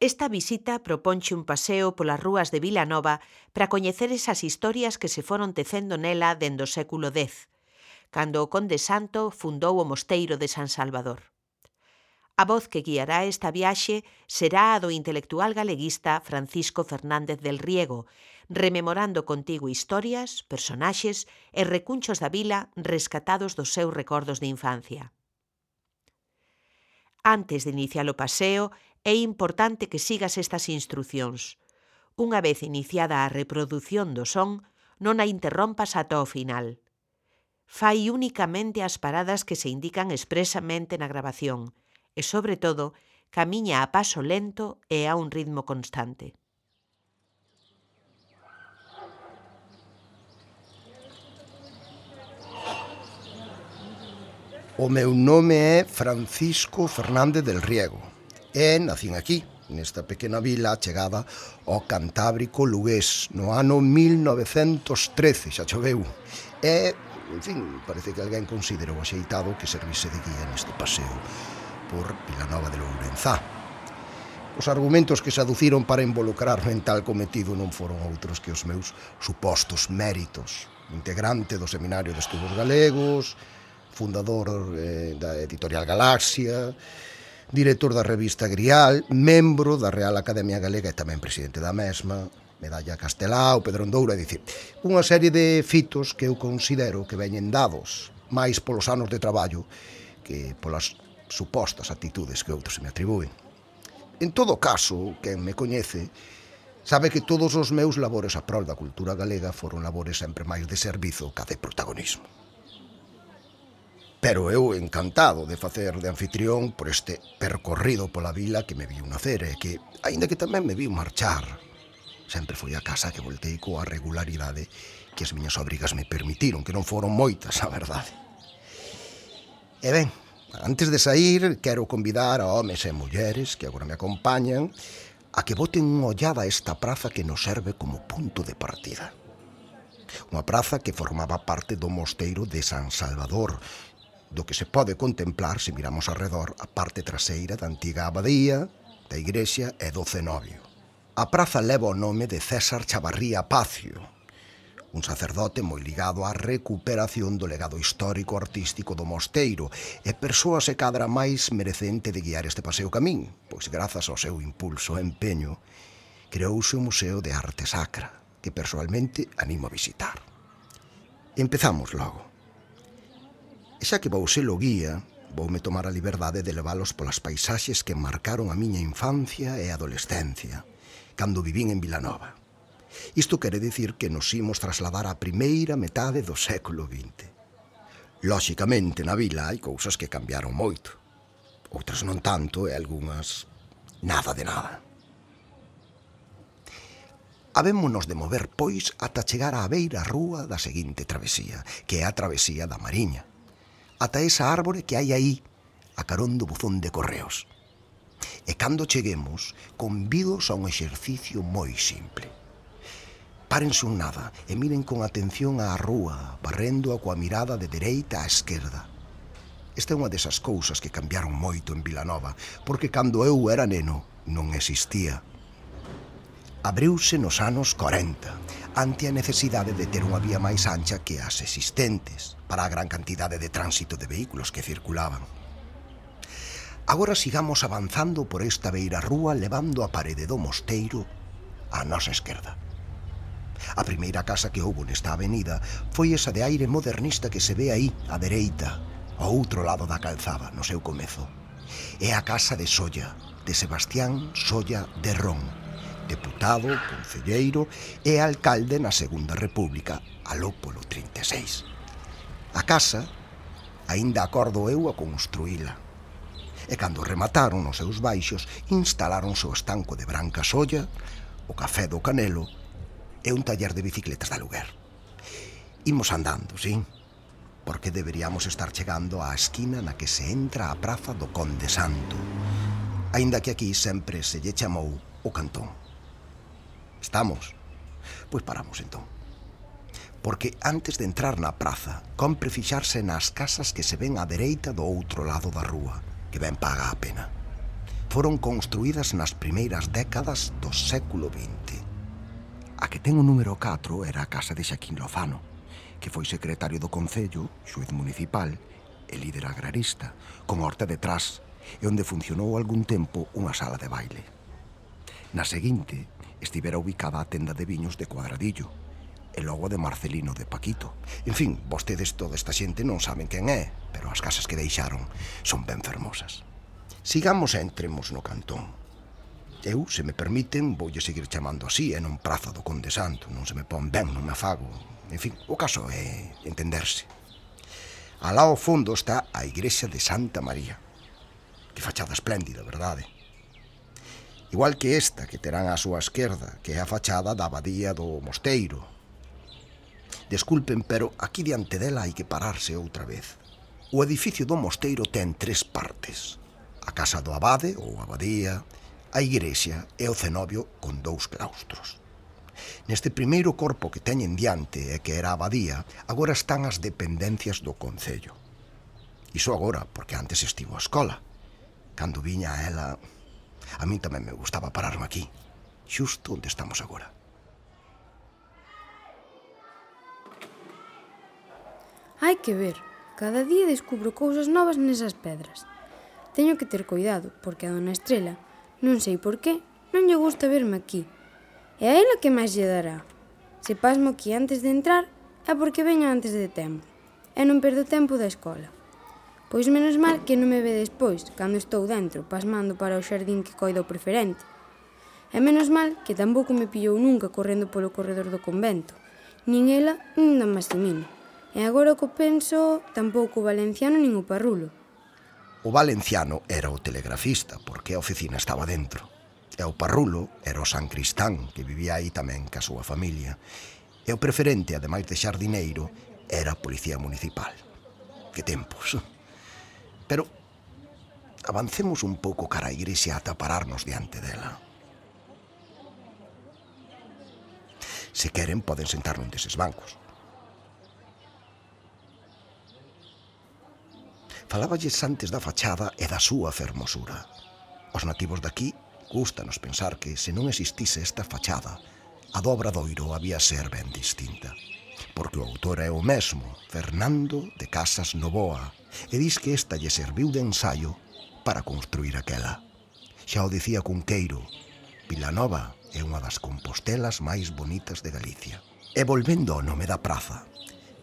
Esta visita proponche un paseo polas rúas de Vilanova para coñecer esas historias que se foron tecendo nela dende o século X, cando o conde Santo fundou o mosteiro de San Salvador. A voz que guiará esta viaxe será a do intelectual galeguista Francisco Fernández del Riego, rememorando contigo historias, personaxes e recunchos da vila rescatados dos seus recordos de infancia. Antes de iniciar o paseo, é importante que sigas estas instrucións. Unha vez iniciada a reprodución do son, non a interrompas ata o final. Fai únicamente as paradas que se indican expresamente na grabación e, sobre todo, camiña a paso lento e a un ritmo constante. O meu nome é Francisco Fernández del Riego e nacín aquí, nesta pequena vila chegada ao Cantábrico lugués no ano 1913, xa choveu. E, en fin, parece que alguén considerou axeitado que servise de guía neste paseo por Vilanova de Lourenzá. Os argumentos que se aduciron para involucrarme en tal cometido non foron outros que os meus supostos méritos. Integrante do Seminario de Estudos Galegos, fundador da editorial Galaxia, director da revista Grial, membro da Real Academia Galega e tamén presidente da mesma, medalla Castelao, Pedrondoura, é dicir, unha serie de fitos que eu considero que veñen dados máis polos anos de traballo que polas supostas actitudes que outros se me atribúen. En todo caso, quen me coñece sabe que todos os meus labores a prol da cultura galega foron labores sempre máis de servizo ca de protagonismo. Pero eu encantado de facer de anfitrión por este percorrido pola vila que me viu nacer e que, aínda que tamén me viu marchar, sempre foi a casa que voltei coa regularidade que as miñas obrigas me permitiron, que non foron moitas, a verdade. E ben, antes de sair, quero convidar a homes e mulleres que agora me acompañan a que boten unha ollada a esta praza que nos serve como punto de partida. Unha praza que formaba parte do mosteiro de San Salvador, do que se pode contemplar se miramos arredor a parte traseira da antiga abadía, da igrexa e do cenobio. A praza leva o nome de César Chavarría Pacio, un sacerdote moi ligado á recuperación do legado histórico-artístico do mosteiro e persoa se cadra máis merecente de guiar este paseo camín, pois grazas ao seu impulso e empeño creouse o Museo de Arte Sacra, que persoalmente animo a visitar. Empezamos logo. E xa que vou ser o guía, voume tomar a liberdade de levalos polas paisaxes que marcaron a miña infancia e adolescencia, cando vivín en Vilanova. Isto quere dicir que nos imos trasladar á primeira metade do século XX. Lóxicamente, na vila hai cousas que cambiaron moito. Outras non tanto e algunhas nada de nada. Habémonos de mover, pois, ata chegar á beira rúa da seguinte travesía, que é a travesía da Mariña, ata esa árbore que hai aí, a carón do buzón de correos. E cando cheguemos, convidos a un exercicio moi simple. Párense un nada e miren con atención á rúa, barrendo-a coa mirada de dereita á esquerda. Esta é unha desas cousas que cambiaron moito en Vilanova, porque cando eu era neno non existía. Abriuse nos anos 40, ante a necesidade de ter unha vía máis ancha que as existentes, para a gran cantidade de tránsito de vehículos que circulaban. Agora sigamos avanzando por esta beira rúa levando a parede do mosteiro á nosa esquerda. A primeira casa que houbo nesta avenida foi esa de aire modernista que se ve aí, á dereita, ao outro lado da calzada, no seu comezo. É a casa de Solla, de Sebastián Solla de Ron, deputado, concelleiro e alcalde na Segunda República, aló polo 36. A casa, aínda acordo eu a construíla. E cando remataron os seus baixos, instalaronse o estanco de Branca Solla, o café do Canelo e un taller de bicicletas de aluguer. Imos andando, sí? Porque deberíamos estar chegando á esquina na que se entra a praza do Conde Santo, aínda que aquí sempre se lle chamou o Cantón. Estamos? Pois paramos entón. Porque antes de entrar na praza, compre fixarse nas casas que se ven á dereita do outro lado da rúa, que ben paga a pena. foron construídas nas primeiras décadas do século XX. A que ten o número 4 era a casa de Xaquín Lozano, que foi secretario do Concello, xuez municipal e líder agrarista, con horta detrás, e onde funcionou algún tempo unha sala de baile. Na seguinte, estivera ubicada a tenda de viños de Cuadradillo, e logo de Marcelino de Paquito. En fin, vostedes toda esta xente non saben quen é, pero as casas que deixaron son ben fermosas. Sigamos e entremos no cantón. Eu, se me permiten, voulle seguir chamando así, e non Praza do Conde Santo. Non se me pon ben, non me afago. En fin, o caso é entenderse. Alá ao fondo está a igrexa de Santa María. Que fachada espléndida, verdade? Igual que esta que terán á súa esquerda, que é a fachada da abadía do mosteiro. Desculpen, pero aquí diante dela hai que pararse outra vez. O edificio do mosteiro ten 3 partes. A casa do abade, ou abadía, a igrexa e o cenobio con 2 claustros. Neste primeiro corpo que teñen diante e que era a abadía, agora están as dependencias do concello. Iso agora, porque antes estivo a escola. Cando viña a ela, a min tamén me gustaba pararme aquí, xusto onde estamos agora. Hai que ver, cada día descubro cousas novas nesas pedras. Teño que ter cuidado, porque a dona Estrela, non sei por qué, non lle gusta verme aquí. E a ela que máis lle dará? Se pasmo aquí antes de entrar, é porque veño antes de tempo, e non perdo tempo da escola. Pois menos mal que non me ve despois, cando estou dentro, pasmando para o xardín que coida o preferente. E menos mal que tampouco me pillou nunca correndo polo corredor do convento, nin ela, nin don Maximino. E agora o que penso, tampouco o valenciano nin o parrulo. O valenciano era o telegrafista, porque a oficina estaba dentro. E o parrulo era o San Cristán, que vivía aí tamén ca súa familia. E o preferente, ademais de xardineiro, era a policía municipal. Que tempos! Pero avancemos un pouco cara a igrexa ata pararnos diante dela. Se queren, poden sentar nun deses bancos. Faláballes antes da fachada e da súa fermosura. Os nativos daqui gústanos pensar que, se non existise esta fachada, a do Obradoiro había ser ben distinta. Porque o autor é o mesmo, Fernando de Casas Novoa, e dis que esta lle serviu de ensaio para construir aquela. Xa o dicía Cunqueiro, Vilanova é unha das compostelas máis bonitas de Galicia. E volvendo ao nome da praza,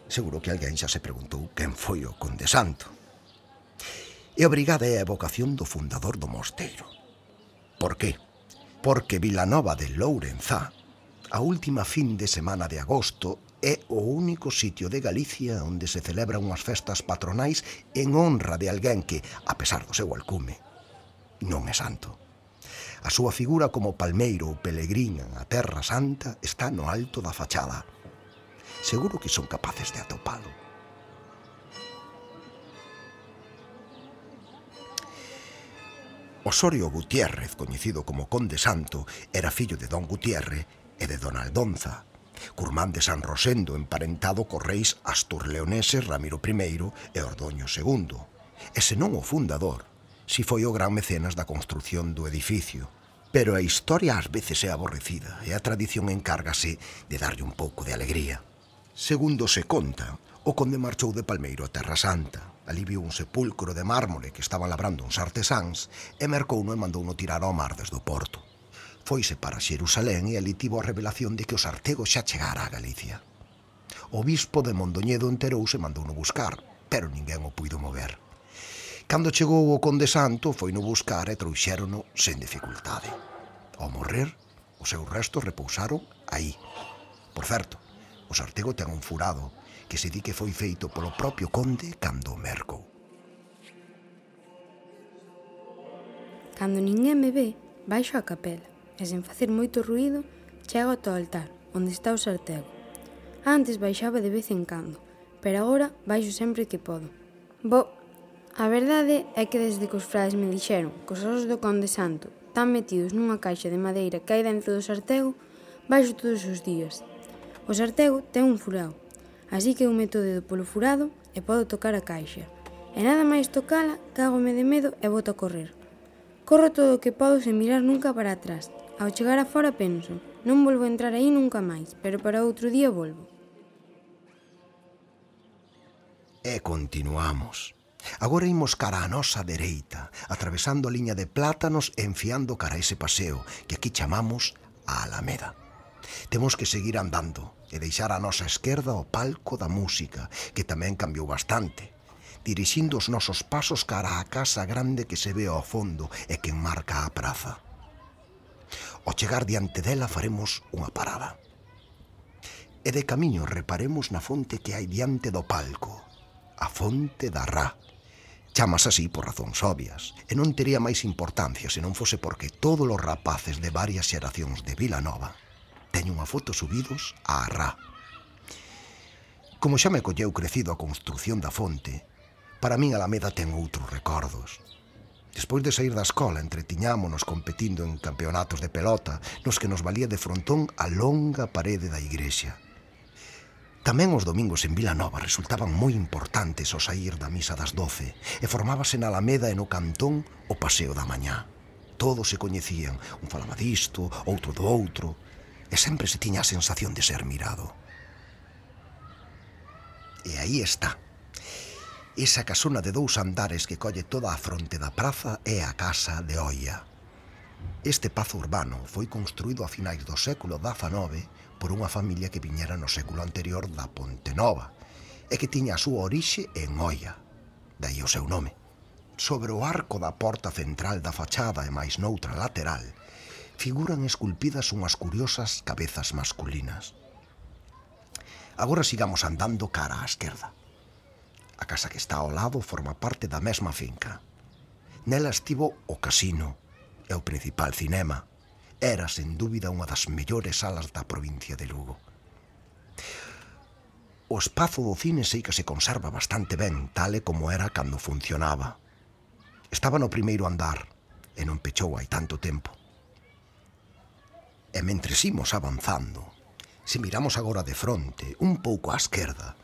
seguro que alguén xa se preguntou quen foi o Conde Santo. E a brigada é a evocación do fundador do mosteiro. Por qué? Porque Vilanova de Lourenzá, a última fin de semana de agosto, é o único sitio de Galicia onde se celebran unhas festas patronais en honra de alguén que, a pesar do seu alcume, non é santo. A súa figura como palmeiro ou pelegrín a Terra Santa está no alto da fachada. Seguro que son capaces de atopalo. Osorio Gutiérrez, coñecido como Conde Santo, era fillo de don Gutiérrez e de dona Aldonza, curmán de San Rosendo, emparentado cos reis asturleoneses Ramiro I e Ordoño II, e senón o fundador, si foi o gran mecenas da construción do edificio. Pero a historia ás veces é aborrecida e a tradición encárgase de darlle un pouco de alegría. Segundo se conta, o conde marchou de Palmeiro a Terra Santa, ali viu un sepulcro de mármore que estaban labrando uns artesáns e mercouno e mandouno tirar ao mar desde o porto. Foise para Xerusalén e ali tivo a revelación de que os artegos xa chegara a Galicia. O bispo de Mondoñedo enterouse e mandouno buscar, pero ninguén o puido mover. Cando chegou o Conde Santo, foino buscar e trouxérono sen dificultade. Ao morrer, os seus restos repousaron aí. Por certo, o sartego ten un furado que se di que foi feito polo propio conde cando o mercou. Cando ninguén me ve, baixo a capela e sen facer moito ruído, chego ata o altar, onde está o sartego. Antes baixaba de vez en cando, pero agora baixo sempre que podo. A verdade é que desde que os frades me dixeron que os osos do Conde Santo están metidos nunha caixa de madeira que hai dentro do sartego, baixo todos os días. O sartego ten un furado, así que eu meto o dedo polo furado e podo tocar a caixa. E nada máis tocala, cágome de medo e boto a correr. Corro todo o que podo sen mirar nunca para atrás. Ao chegar a fora penso, non volvo a entrar aí nunca máis, pero para outro día volvo. E continuamos. Agora imos cara a nosa dereita, atravesando a liña de plátanos e enfiando cara a ese paseo que aquí chamamos a Alameda. Temos que seguir andando e deixar a nosa esquerda o palco da música, que tamén cambiou bastante, dirixindo os nosos pasos cara á casa grande que se ve ao fondo e que enmarca a praza. Ao chegar diante dela faremos unha parada. E de camiño reparemos na fonte que hai diante do palco, a fonte da Rá. Chamas así por razóns obvias, e non tería máis importancia se non fose porque todos os rapaces de varias xeracións de Vilanova teñen unha foto subidos á Rá. Como xa me colleu crecido a construción da fonte, para min Alameda ten outros recordos. Despois de sair da escola, entretiñámonos competindo en campeonatos de pelota, nos que nos valía de frontón a longa parede da igrexa. Tamén os domingos en Vilanova resultaban moi importantes ao saír da misa das 12 e formábase na Alameda e no Cantón o paseo da mañá. Todos se coñecían, un falaba disto, outro do outro, e sempre se tiña a sensación de ser mirado. E aí está. Esa casona de 2 andares que colle toda a fronte da praza é a Casa de Oia. Este pazo urbano foi construído a finais do século XIX por unha familia que viñera no século anterior da Ponte Nova e que tiña a súa orixe en Oia, daí o seu nome. Sobre o arco da porta central da fachada e máis noutra lateral figuran esculpidas unhas curiosas cabezas masculinas. Agora sigamos andando cara á esquerda. A casa que está ao lado forma parte da mesma finca. Nela estivo o casino e o principal cinema. Era, sen dúbida, unha das mellores salas da provincia de Lugo. O espazo do cine sei que se conserva bastante ben, tal e como era cando funcionaba. Estaba no primeiro andar e non pechou hai tanto tempo. E mentres imos avanzando, se miramos agora de fronte, un pouco á esquerda,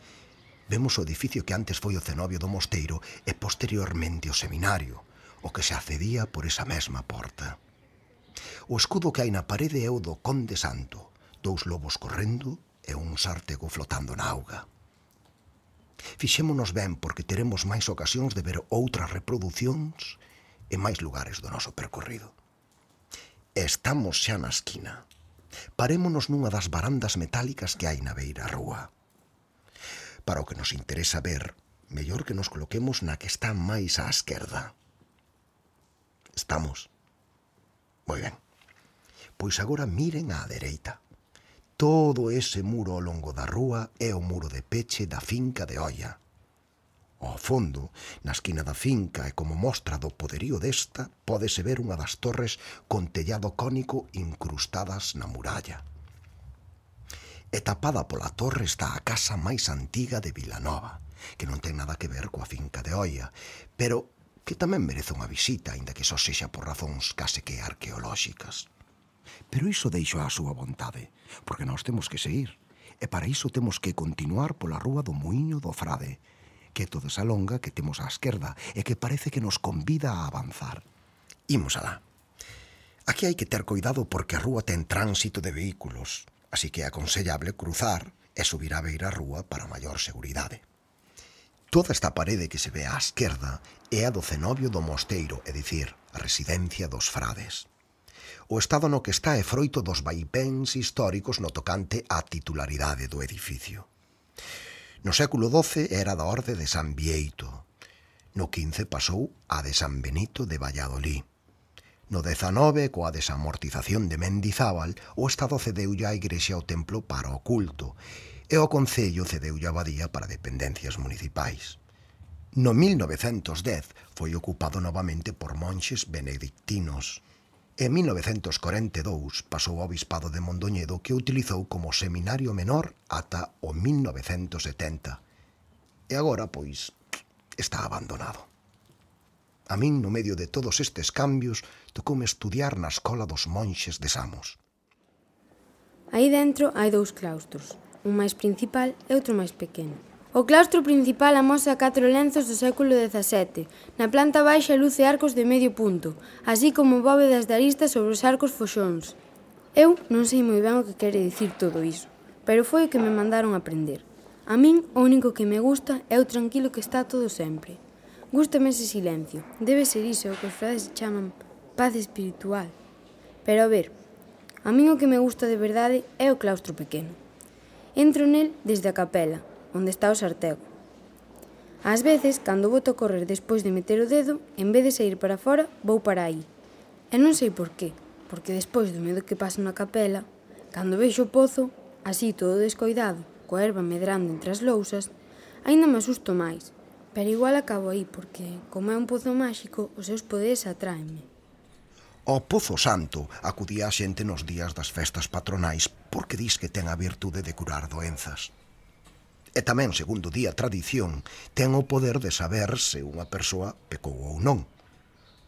vemos o edificio que antes foi o cenobio do mosteiro e posteriormente o seminario, o que se accedía por esa mesma porta. O escudo que hai na parede é o do Conde Santo, 2 lobos correndo e un sártego flotando na auga. Fixémonos ben porque teremos máis ocasións de ver outras reproducións e máis lugares do noso percorrido. Estamos xa na esquina. Parémonos nunha das barandas metálicas que hai na beira rúa. Para o que nos interesa ver, mellor que nos coloquemos na que está máis á esquerda. Estamos? Moi ben. Pois agora miren á dereita. Todo ese muro ao longo da rúa é o muro de peche da finca de Oia. Ao fondo, na esquina da finca e como mostra do poderío desta, pódese ver unha das torres con tellado cónico incrustadas na muralla. E tapada pola torre está a casa máis antiga de Vilanova, que non ten nada que ver coa finca de Oia, pero que tamén merece unha visita, aínda que só sexa por razóns case que arqueolóxicas. Pero iso deixo á súa vontade, porque nós temos que seguir, e para iso temos que continuar pola rúa do Muíño do Frade, que é toda esa longa que temos á esquerda e que parece que nos convida a avanzar. Imos alá. Aquí hai que ter cuidado porque a rúa ten tránsito de vehículos, así que é aconsellable cruzar e subir a beira rúa para maior seguridade. Toda esta parede que se ve á esquerda é a do cenobio do mosteiro, é dicir, a residencia dos frades. O estado no que está é froito dos vaipéns históricos no tocante á titularidade do edificio. No século XII era da orde de San Bieito. No XV pasou a de San Benito de Valladolid. No XIX, coa desamortización de Mendizábal, o Estado cedeulle á igrexa o templo para o culto e o Concello cedeulle a abadía para dependencias municipais. No 1910 foi ocupado novamente por monxes benedictinos. En 1942 pasou ao Bispado de Mondoñedo, que o utilizou como seminario menor ata o 1970. E agora, pois, está abandonado. A min, no medio de todos estes cambios, tocoume estudiar na escola dos monxes de Samos. Aí dentro hai 2 claustros, un máis principal e outro máis pequeno. O claustro principal amosa 4 lenzos do século XVII. Na planta baixa luce arcos de medio punto, así como bóvedas de aristas sobre os arcos foxóns. Eu non sei moi ben o que quere dicir todo iso, pero foi o que me mandaron aprender. A min, o único que me gusta é o tranquilo que está todo sempre. Gústame ese silencio. Debe ser iso o que os frades chaman paz espiritual. Pero a ver, a min o que me gusta de verdade é o claustro pequeno. Entro nel desde a capela, onde está o sartego. Ás veces, cando boto a correr despois de meter o dedo, en vez de sair para fora, vou para aí. E non sei por qué, porque despois do medo que paso na capela, cando vexo o pozo, así todo descoidado, coa erva medrando entre as lousas, aínda me asusto máis, pero igual acabo aí, porque, como é un pozo máxico, os seus poderes atráenme. Ao Pozo Santo acudía a xente nos días das festas patronais porque dis que ten a virtude de curar doenzas. E tamén, segundo di a tradición, ten o poder de saber se unha persoa pecou ou non.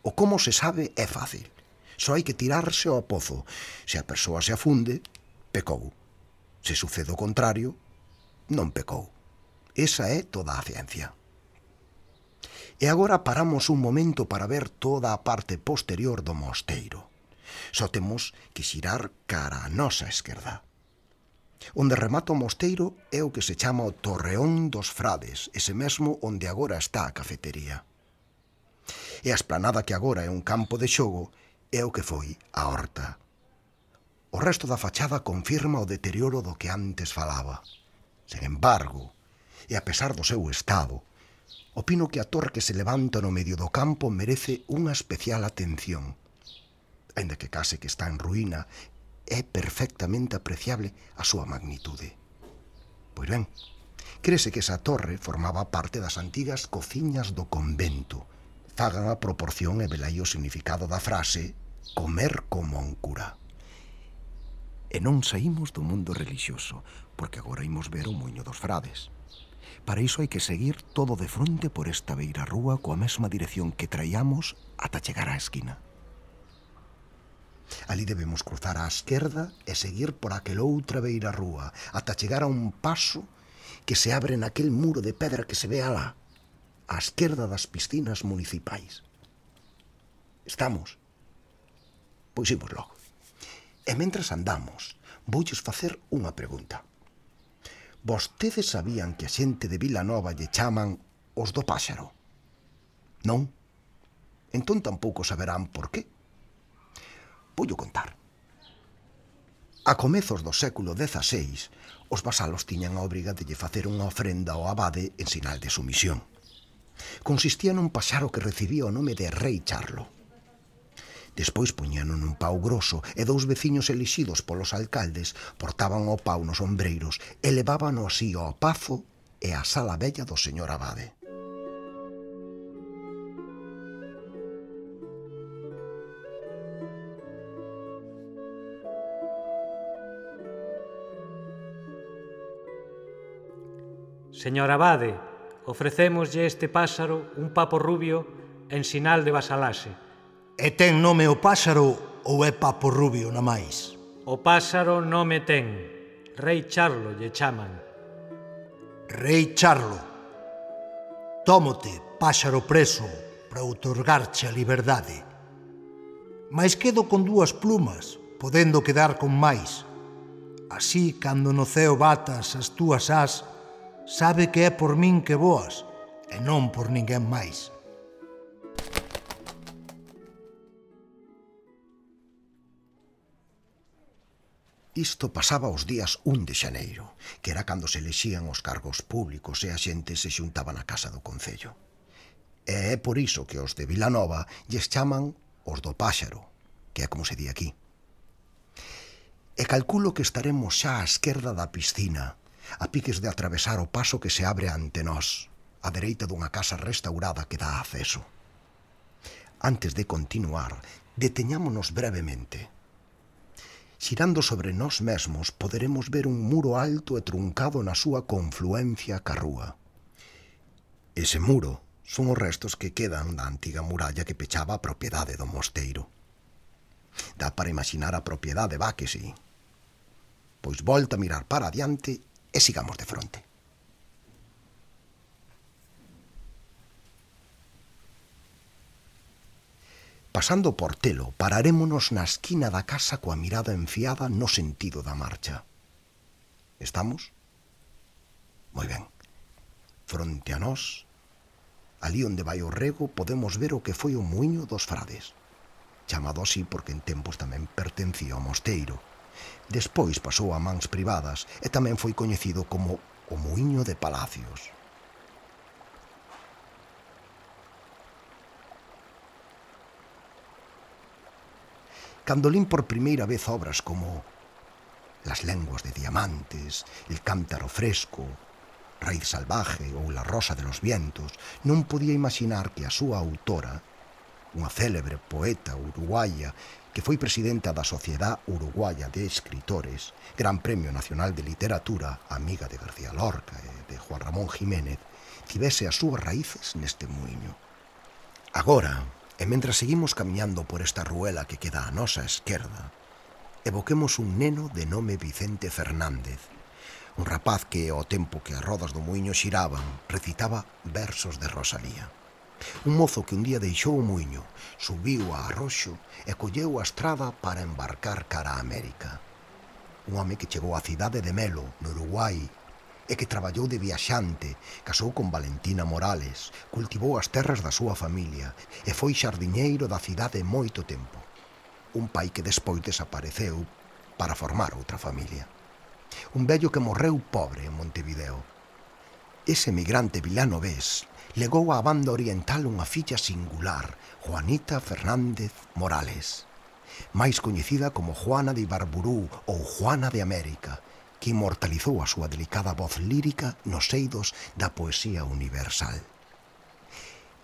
O como se sabe é fácil. Só hai que tirarse ao pozo. Se a persoa se afunde, pecou. Se sucede o contrario, non pecou. Esa é toda a ciencia. E agora paramos un momento para ver toda a parte posterior do mosteiro. Só temos que xirar cara a nosa esquerda. Onde remata o mosteiro é o que se chama o Torreón dos Frades, ese mesmo onde agora está a cafetería. E a esplanada que agora é un campo de xogo é o que foi a horta. O resto da fachada confirma o deterioro do que antes falaba. Sen embargo, e a pesar do seu estado, opino que a torre que se levanta no medio do campo merece unha especial atención. Aínda que case que está en ruína, é perfectamente apreciable a súa magnitude. Pois ben, crese que esa torre formaba parte das antigas cociñas do convento. Fagan a proporción e velai o significado da frase comer como un cura. E non saímos do mundo relixioso, porque agora imos ver o Muiño dos Frades. Para iso hai que seguir todo de fronte por esta beira rúa coa mesma dirección que traíamos ata chegar á esquina. Ali debemos cruzar á esquerda e seguir por aquela outra beira rúa ata chegar a un paso que se abre naquel muro de pedra que se ve alá, á esquerda das piscinas municipais. Estamos? Pois imos logo. E mentras andamos, voulles facer unha pregunta. Vostedes sabían que a xente de Vilanova lle chaman os do Páxaro? Non? Entón tampouco saberán por qué. Voullo contar. A comezos do século XVI, os vasalos tiñan a obriga de lle facer unha ofrenda ao abade en sinal de sumisión. Consistía nun paxaro que recibía o nome de Rei Charlo. Despois puñano nun pau groso e 2 veciños elixidos polos alcaldes portaban o pau nos ombreiros e levábano así ao pazo e á sala bella do señor abade. Señor abade, ofrecémoslle este páxaro un papo rubio en sinal de vasalaxe. E ten nome o páxaro ou é papo rubio na máis? O páxaro nome ten. Rei Charlo lle chaman. Rei Charlo. Tómote, páxaro preso, para outorgarche a liberdade. Mais quedo con 2 plumas, podendo quedar con máis. Así, cando no ceo batas as túas ás, sabe que é por min que voas, e non por ninguén máis. Isto pasaba os días 1 de xaneiro, que era cando se elexían os cargos públicos e a xente se xuntaba na casa do concello. E é por iso que os de Vilanova lles chaman os do Páxaro, que é como se di aquí. E calculo que estaremos xa á esquerda da piscina, a piques de atravesar o paso que se abre ante nós, á dereita dunha casa restaurada que dá acceso. Antes de continuar, deteñámonos brevemente. Xirando sobre nós mesmos, poderemos ver un muro alto e truncado na súa confluencia ca rúa. Ese muro son os restos que quedan da antiga muralla que pechaba a propiedade do mosteiro. Dá para imaginar a propiedade, va que sí. Pois volta a mirar para adiante e sigamos de fronte. Pasando por Telo, pararémonos na esquina da casa coa mirada enfiada no sentido da marcha. Estamos? Moi ben. Fronte a nós, ali onde vai o rego, podemos ver o que foi o muiño dos frades, chamado así porque en tempos tamén pertencía ao mosteiro. Despois pasou a mans privadas e tamén foi coñecido como o muiño de Palacios. Cando lín por primeira vez obras como Las lenguas de diamantes, El cántaro fresco, Raíz salvaje ou La rosa de los vientos, non podía imaginar que a súa autora, unha célebre poeta uruguaya que foi presidenta da Sociedade Uruguaya de Escritores, Gran Premio Nacional de Literatura, amiga de García Lorca e de Juan Ramón Jiménez, tivese as súas raíces neste muiño. Agora, e mentras seguimos camiñando por esta ruela que queda á nosa esquerda, evoquemos un neno de nome Vicente Fernández, un rapaz que, ao tempo que as rodas do muiño xiraban, recitaba versos de Rosalía. Un mozo que un día deixou o muiño, subiu a arroxo e colleu a estrada para embarcar cara a América. Un home que chegou á cidade de Melo, no Uruguai, e que traballou de viaxante, casou con Valentina Morales, cultivou as terras da súa familia e foi xardiñeiro da cidade moito tempo. Un pai que despois desapareceu para formar outra familia. Un vello que morreu pobre en Montevideo. Ese emigrante vilanovés legou á banda oriental unha filla singular, Juanita Fernández Morales, máis coñecida como Juana de Ibarburú ou Juana de América, que inmortalizou a súa delicada voz lírica nos eidos da poesía universal.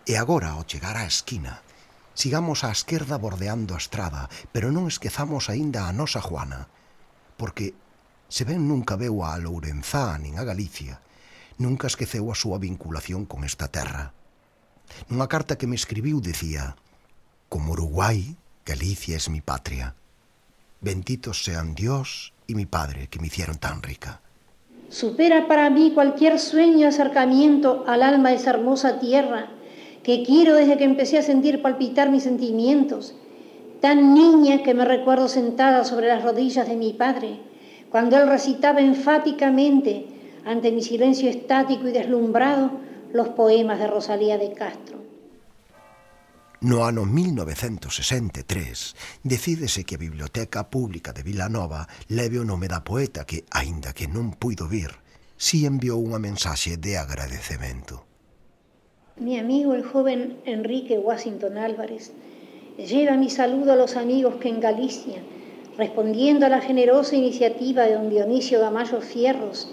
E agora, ao chegar á esquina, sigamos á esquerda bordeando a estrada, pero non esquezamos aínda a nosa Juana, porque, se ben nunca veu a Lourenzá nin a Galicia, nunca esqueceu a súa vinculación con esta terra. Nunha carta que me escribiu dicía: «Como Uruguai, Galicia es mi patria. Benditos sean Dios y mi padre que me hicieron tan rica». Supera para mí cualquier sueño acercamiento al alma de esa hermosa tierra que quiero desde que empecé a sentir palpitar mis sentimientos. Tan niña que me recuerdo sentada sobre las rodillas de mi padre, cuando él recitaba enfáticamente, ante mi silencio estático y deslumbrado, los poemas de Rosalía de Castro. No ano 1963, decídese que a Biblioteca Pública de Vilanova leve o nome da poeta que, aínda que non puido vir, si enviou unha mensaxe de agradecemento. Mi amigo, el joven Enrique Washington Álvarez, lleva mi saludo a los amigos que en Galicia, respondiendo a la generosa iniciativa de don Dionisio Gamayo Fierros,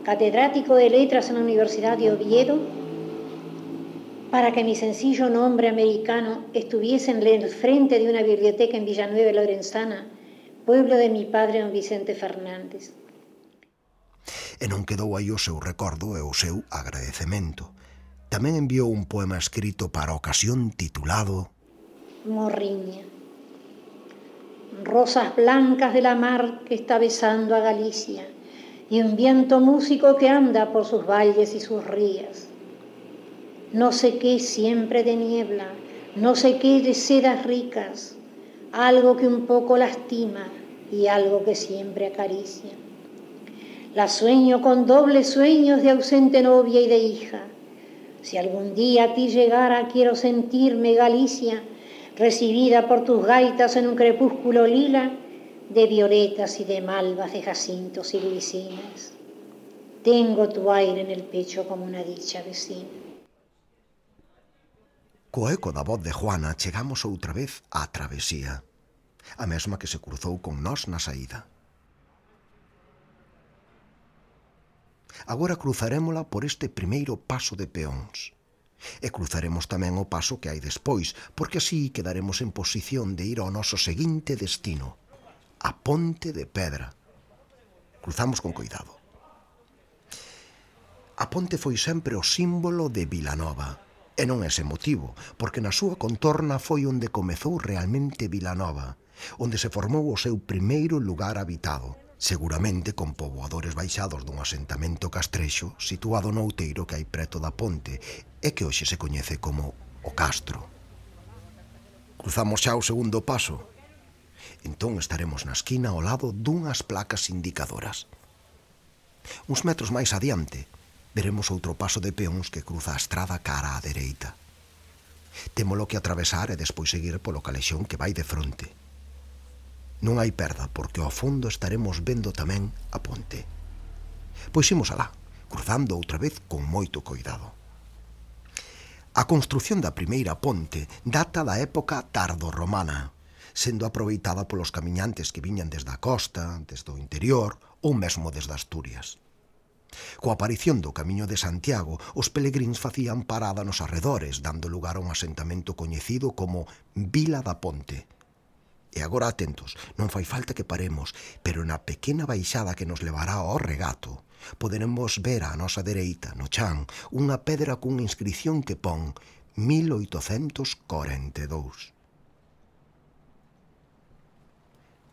catedrático de Letras en la Universidad de Oviedo, para que mi sencillo nombre americano estuviese en el frente de una biblioteca en Villanueva Lorenzana, pueblo de mi padre don Vicente Fernández. E non quedou aí o seu recordo e o seu agradecemento. Tamén enviou un poema escrito para a ocasión titulado Morriña. Rosas blancas de la mar que está besando a Galicia y un viento músico que anda por sus valles y sus rías. No sé qué siempre de niebla, no sé qué de sedas ricas, algo que un poco lastima y algo que siempre acaricia. La sueño con dobles sueños de ausente novia y de hija. Si algún día a ti llegara, quiero sentirme, Galicia, recibida por tus gaitas en un crepúsculo lila, de violetas y de malvas, de jacintos y glicinas. Tengo tu aire en el pecho como una dicha vecina. Co eco da voz de Juana chegamos outra vez á travesía, a mesma que se cruzou con nós na saída. Agora cruzarémola por este primeiro paso de peóns. E cruzaremos tamén o paso que hai despois, porque así quedaremos en posición de ir ao noso seguinte destino, a Ponte de Pedra. Cruzamos con coidado. A ponte foi sempre o símbolo de Vilanova, e non ese motivo, porque na súa contorna foi onde comezou realmente Vilanova, onde se formou o seu primeiro lugar habitado, seguramente con poboadores baixados dun asentamento castrexo situado no outeiro que hai preto da ponte e que hoxe se coñece como o Castro. Cruzamos xa o segundo paso. Entón estaremos na esquina ao lado dunhas placas indicadoras. Uns metros máis adiante, veremos outro paso de peóns que cruza a estrada cara á dereita. Témolo que atravesar e despois seguir polo calexón que vai de fronte. Non hai perda, porque ao fondo estaremos vendo tamén a ponte. Pois imos alá, cruzando outra vez con moito coidado. A construción da primeira ponte data da época tardorromana, sendo aproveitada polos camiñantes que viñan desde a costa, desde o interior ou mesmo desde Asturias. Coa aparición do Camiño de Santiago, os pelegríns facían parada nos arredores, dando lugar a un asentamento coñecido como Vila da Ponte. E agora atentos, non fai falta que paremos, pero na pequena baixada que nos levará ao regato, poderemos ver á nosa dereita, no chan, unha pedra cunha inscrición que pon 1842.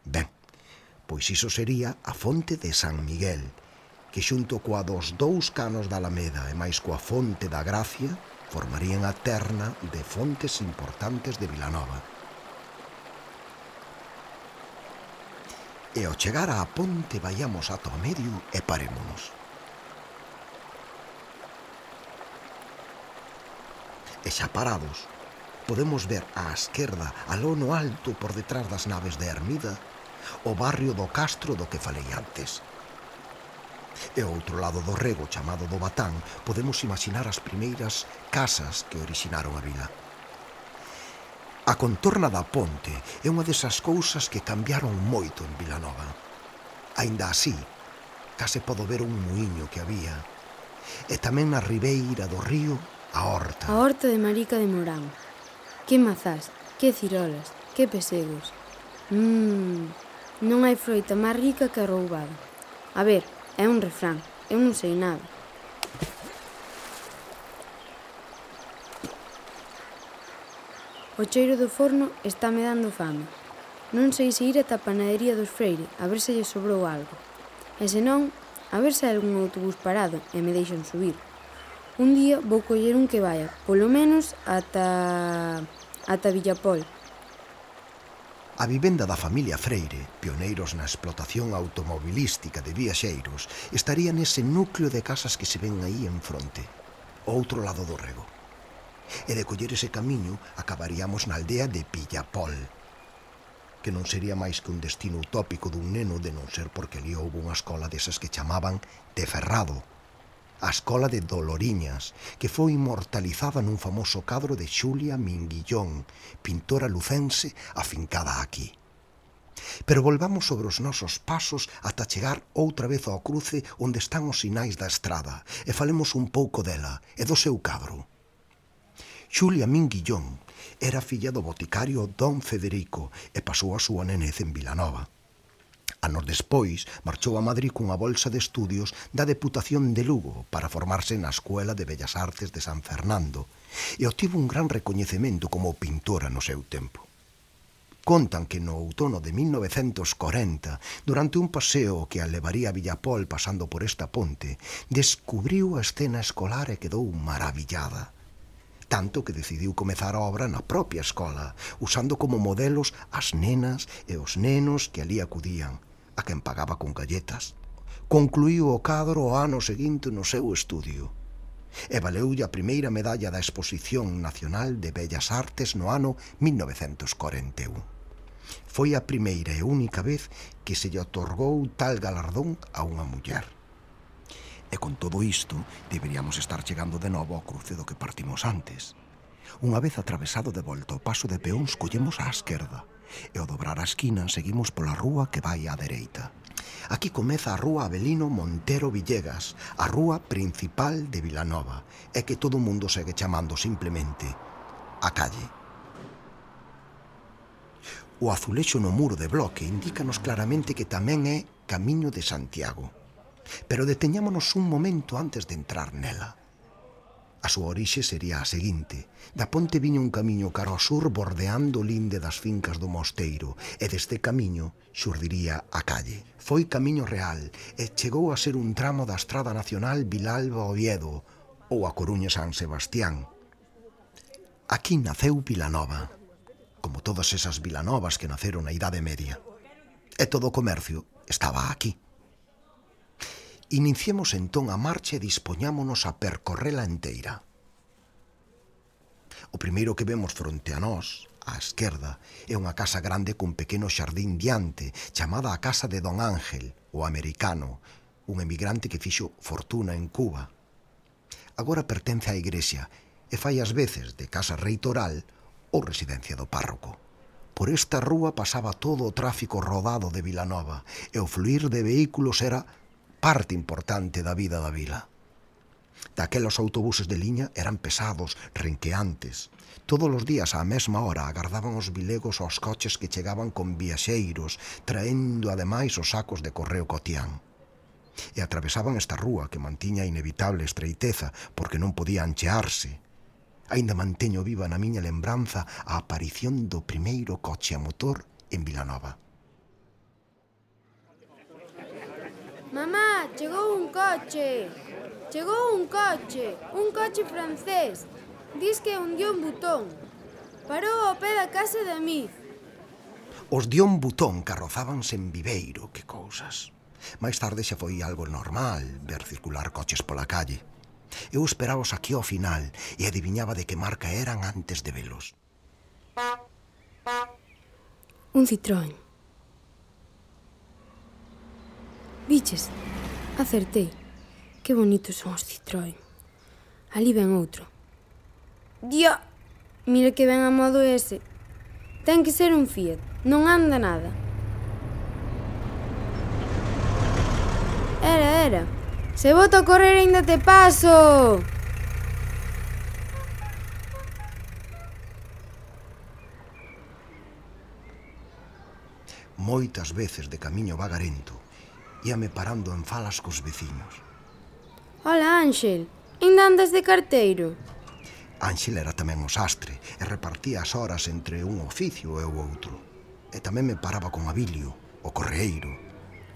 Ben, pois iso sería a fonte de San Miguel, que xunto coa dos dous canos da Alameda e máis coa fonte da Gracia formarían a terna de fontes importantes de Vilanova. E ao chegar á ponte vaiamos ata o medio e parémonos. E xa parados, podemos ver á esquerda, aló no alto por detrás das naves de Hermida, o barrio do Castro do que falei antes. E ao outro lado do rego, chamado do Batán, podemos imaginar as primeiras casas que orixinaron a vila. A contorna da ponte é unha desas cousas que cambiaron moito en Vilanova. Aínda así, case podo ver un muiño que había. E tamén na ribeira do río, a horta. A horta de Marica de Morán. Que mazás, que cirolas, que pesegos. Non hai froita máis rica que a roubada. A ver, é un refrán, eu non sei nada. O cheiro do forno está me dando fame. Non sei se ir ata a panadería dos Freire, a ver se lle sobrou algo. E se non, a ver se hai algún autobús parado e me deixan subir. Un día vou coller un que vaya, polo menos, ata Villapol. A vivenda da familia Freire, pioneiros na explotación automobilística de viaxeiros, estaría nese núcleo de casas que se ven aí en fronte, ao outro lado do rego. E de coller ese camiño acabaríamos na aldea de Villapol, que non sería máis que un destino utópico dun neno de non ser porque ali houve unha escola desas que chamaban de Ferrado, a escola de Doloriñas, que foi inmortalizada nun famoso cadro de Xulia Minguillón, pintora lucense afincada aquí. Pero volvamos sobre os nosos pasos ata chegar outra vez ao cruce onde están os sinais da estrada e falemos un pouco dela e do seu cadro. Xulia Minguillón era filla do boticario Don Federico e pasou a súa nenez en Vilanova. Anos despois, marchou a Madrid cunha bolsa de estudios da Deputación de Lugo para formarse na Escuela de Bellas Artes de San Fernando e obtivo un gran recoñecemento como pintora no seu tempo. Contan que no outono de 1940, durante un paseo que a levaría a Villapol pasando por esta ponte, descubriu a escena escolar e quedou maravillada. Tanto que decidiu comezar a obra na propia escola, usando como modelos as nenas e os nenos que ali acudían, a quen pagaba con galletas. Concluíu o cadro o ano seguinte no seu estudio e valeulle a primeira medalla da Exposición Nacional de Bellas Artes no ano 1941. Foi a primeira e única vez que se lle otorgou tal galardón a unha muller. E con todo isto, deberíamos estar chegando de novo ao cruce do que partimos antes. Unha vez atravesado de volta o paso de peóns, collemos á esquerda, e ao dobrar a esquina seguimos pola rúa que vai á dereita. Aquí comeza a rúa Avelino Montero Villegas, a rúa principal de Vilanova, e que todo o mundo segue chamando simplemente a calle. O azulexo no muro de bloque indícanos claramente que tamén é Camiño de Santiago. Pero deteñámonos un momento antes de entrar nela. A súa orixe sería a seguinte: da ponte viña un camiño cara ao sur bordeando o linde das fincas do mosteiro e deste camiño xurdiría a calle. Foi camiño real e chegou a ser un tramo da Estrada Nacional Vilalba-Oviedo ou a Coruña-San Sebastián. Aquí naceu Vilanova, como todas esas vilanovas que naceron na Idade Media. E todo o comercio estaba aquí. Iniciemos entón a marcha e dispoñámonos a percorrela enteira. O primeiro que vemos fronte a nós, á esquerda, é unha casa grande cun pequeno xardín diante, chamada a casa de Don Ángel, o americano, un emigrante que fixo fortuna en Cuba. Agora pertence á igrexa e fai ás veces de casa reitoral ou residencia do párroco. Por esta rúa pasaba todo o tráfico rodado de Vilanova e o fluir de vehículos era parte importante da vida da vila. Daqueles autobuses de liña eran pesados, renqueantes. Todos os días á mesma hora agardaban os vilegos aos coches que chegaban con viaxeiros, traendo ademais os sacos de correo cotián. E atravesaban esta rúa que mantiña a inevitable estreiteza porque non podía anchearse. Aínda manteño viva na miña lembranza a aparición do primeiro coche a motor en Vilanova. Mamá, chegou un coche! Chegou un coche francés. Dis que hundiu un botón. Parou ao pé da casa de Amiz. Os Dion Butón carrozábanse en Viveiro, que cousas. Mais tarde xa foi algo normal ver circular coches pola calle. Eu esperaos aquí ao final e adiviñaba de que marca eran antes de velos. Un Citroën. Viches? Acertei. Que bonitos son os Citroën. Ali ven outro. Dia! Mira que ven a modo ese. Ten que ser un Fiat. Non anda nada. Era. Se boto a correr ainda te paso! Moitas veces de camiño vagarento íame parando en falas cos veciños. Hola, Ángel. Ainda andas de carteiro? Ángel era tamén o sastre e repartía as horas entre un oficio e o outro. E tamén me paraba con Abilio, o correeiro.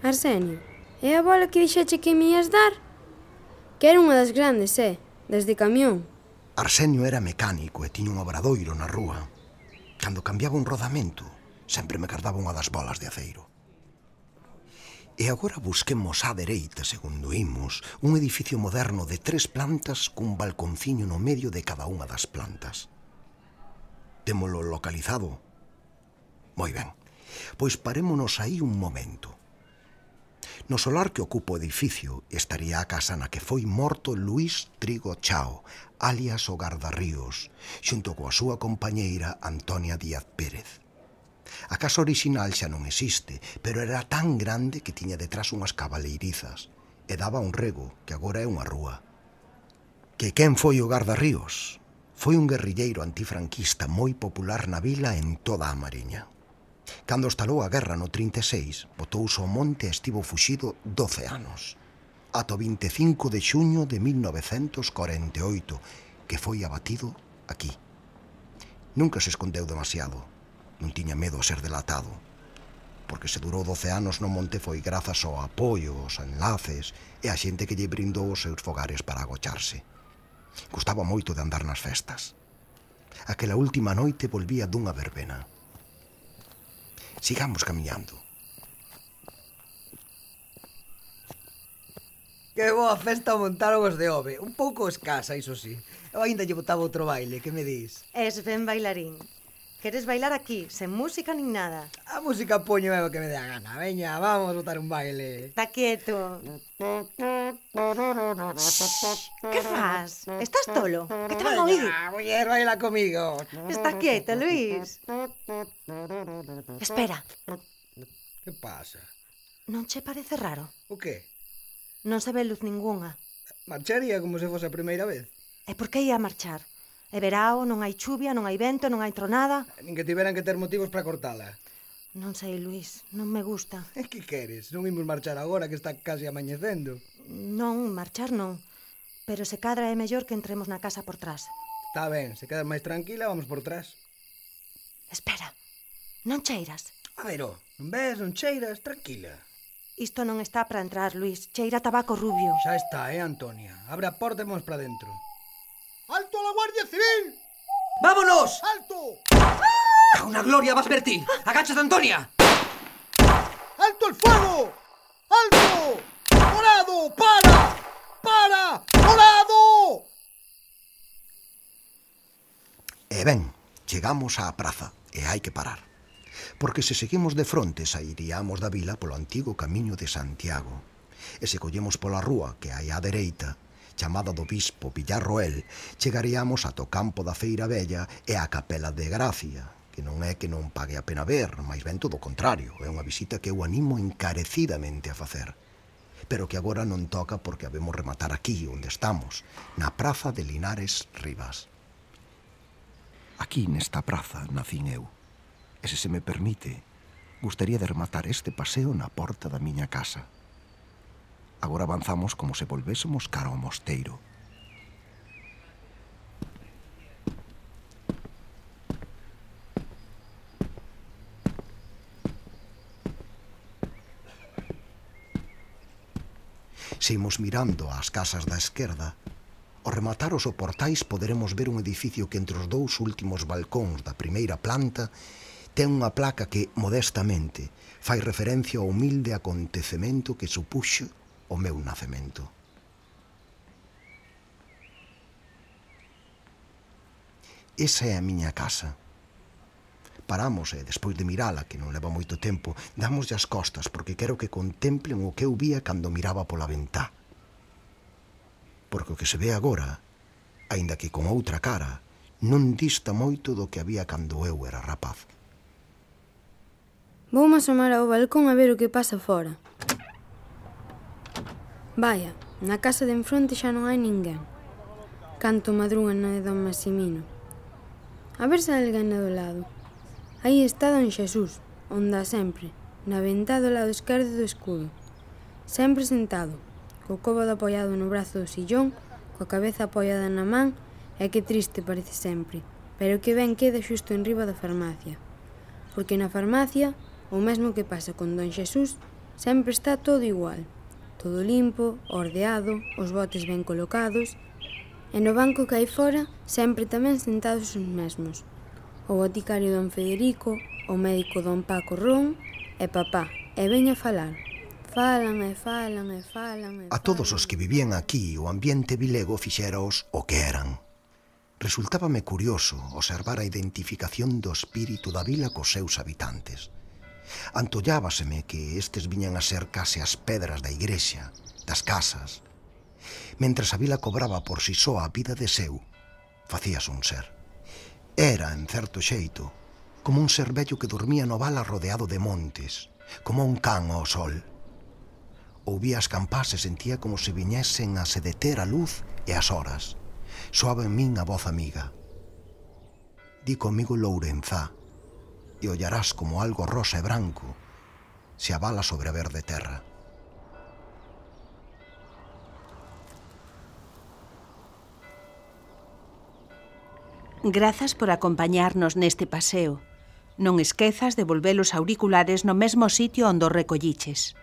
Arsenio, é a bola que dixeche que me ias dar? Que era unha das grandes, das de camión. Arsenio era mecánico e tiña un obradoiro na rúa. Cando cambiaba un rodamento, sempre me cardaba unha das bolas de aceiro. E agora busquemos á dereita, segundo imos, un edificio moderno de 3 plantas cun balconciño no medio de cada unha das plantas. Témolo localizado? Moi ben, pois parémonos aí un momento. No solar que ocupa o edificio estaría a casa na que foi morto Luís Trigo Chao, alias o Gardarríos, xunto coa súa compañeira Antonia Díaz Pérez. A casa orixinal xa non existe, pero era tan grande que tiña detrás unhas cabaleirizas e daba un rego que agora é unha rúa. Que quen foi o Gardarríos? Foi un guerrilleiro antifranquista moi popular na vila en toda a Mariña. Cando estalou a guerra no 36, botouse ao monte e estivo fuxido 12 anos. Ata o 25 de xuño de 1948, que foi abatido aquí. Nunca se escondeu demasiado. Non tiña medo a ser delatado, porque se durou 12 anos no monte foi grazas ao apoio, aos enlaces e a xente que lle brindou os seus fogares para agocharse. Gustaba moito de andar nas festas. Aquela última noite volvía dunha verbena. Sigamos camiñando. Que boa festa montaron os de Ove. Un pouco escasa, iso sí. Eu ainda lle botaba outro baile, que me dis? Es ben bailarín. Queres bailar aquí, sen música nin nada? A música poño é o que me dé a gana. Veña, vamos botar un baile. Está quieto. Que faz? Estás tolo? Que te van a oír? Veña, muller, baila comigo. Está quieto, Luís. Espera, Que pasa? non che parece raro? O que? Non se ve luz ningunha. Marcharía como se fose a primeira vez. E por que ia marchar? É verao, non hai chuvia, non hai vento, non hai tronada. Nin que tiveran que ter motivos para cortala. Non sei, Luís, non me gusta. E que queres? Non imos marchar agora que está casi amañecendo. Non, marchar non. Pero se cadra é mellor que entremos na casa por trás. Está ben, se quedas máis tranquila, vamos por trás. Espera, non cheiras? A ver, non ves, non cheiras, tranquila. Isto non está para entrar, Luís. Cheira a tabaco rubio. Xa está, Antonia? Abre a porta e vamos para dentro. ¡Alto a la Guardia Civil! Vámonos! Alto! A una gloria vas ver ti. Agáchate, Antonia. Alto el fuego! Alto! Morado, para! Para! Morado! E ben, chegamos á praza e hai que parar. Porque se seguimos de fronte sairíamos da vila polo antigo camiño de Santiago. E se collemos pola rúa que hai á dereita, chamada do bispo Villarroel, chegaríamos ata o campo da Feira Vella e á Capela de Gracia, que non é que non pague a pena ver, máis ben todo o contrario, é unha visita que eu animo encarecidamente a facer. Pero que agora non toca porque habemos rematar aquí, onde estamos, na praza de Linares Rivas. Aquí, nesta praza, nacín eu. E se me permite, gustaría de rematar este paseo na porta da miña casa. Agora avanzamos como se volvésemos cara ao mosteiro. Se imos mirando ás casas da esquerda, ao rematar os soportais poderemos ver un edificio que entre os dous últimos balcóns da primeira planta ten unha placa que, modestamente, fai referencia ao humilde acontecemento que supuxo o meu nacemento. Esa é a miña casa. Paramos e, despois de mirala, que non leva moito tempo, damoslle as costas porque quero que contemplen o que eu vía cando miraba pola ventá. Porque o que se ve agora, aínda que con outra cara, non dista moito do que había cando eu era rapaz. Voume asomar ao balcón a ver o que pasa fora. Vaya, na casa de enfronte xa non hai ninguén. Canto madrugan na de don Maximino. A ver se hai alguén do lado. Aí está don Xesús, onde a sempre, na ventá do lado esquerdo do escudo. Sempre sentado, co cóbado apoiado no brazo do sillón, coa cabeza apoiada na man, e que triste parece sempre, pero que ben queda xusto enriba da farmacia. Porque na farmacia, o mesmo que pasa con don Xesús, sempre está todo igual. Todo limpo, ordeado, os botes ben colocados, e no banco que hai fora, sempre tamén sentados os mesmos. O boticario don Federico, o médico don Paco Ron e papá, e veña a falar. Falan e falan e falan e falan. A todos os que vivían aquí, o ambiente vilego fixeraos o que eran. Resultábame curioso observar a identificación do espírito da vila cos seus habitantes. Antollábaseme que estes viñan a ser case as pedras da igrexa, das casas. Mentras a vila cobraba por si só a vida de seu, facíase un ser. Era, en certo xeito, como un ser vello que dormía no val rodeado de montes, como un can ao sol. Ouvía as campás e sentía como se viñesen a se deter a luz e as horas. Soaba en min a voz amiga. Di comigo Lourenzá, e ollarás como algo rosa e branco se abala sobre a verde terra. Grazas por acompañarnos neste paseo. Non esquezas de volver os auriculares no mesmo sitio onde os recolliches.